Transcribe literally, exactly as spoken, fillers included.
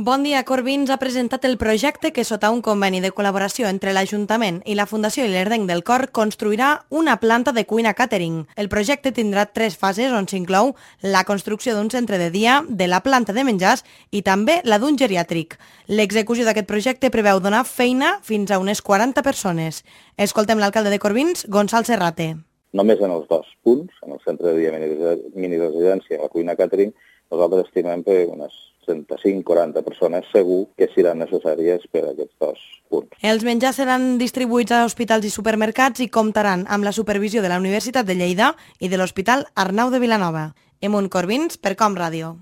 Bon dia. Corbins ha presentat el projecte que, sota un conveni de col·laboració entre l'Ajuntament i la Fundació Ilerdenc del Cor, construirà una planta de cuina catering. El projecte tindrà tres fases on s'inclou la construcció d'un centre de dia, de la planta de menjars i també la d'un geriàtric. L'execució d'aquest projecte preveu donar feina fins a unes quaranta persones. Escoltem l'alcalde de Corbins, Gonçal Serrate. Només en els dos punts, en el centre de dia mini-residència i la cuina catering, nosaltres estimem que unes trenta-cinc a quaranta persones segur que seran necessàries per a aquests dos punts. Els menjars seran distribuïts a hospitals i supermercats i comptaran amb la supervisió de la Universitat de Lleida i de l'Hospital Arnau de Vilanova. Emun Corbins, per Com Ràdio.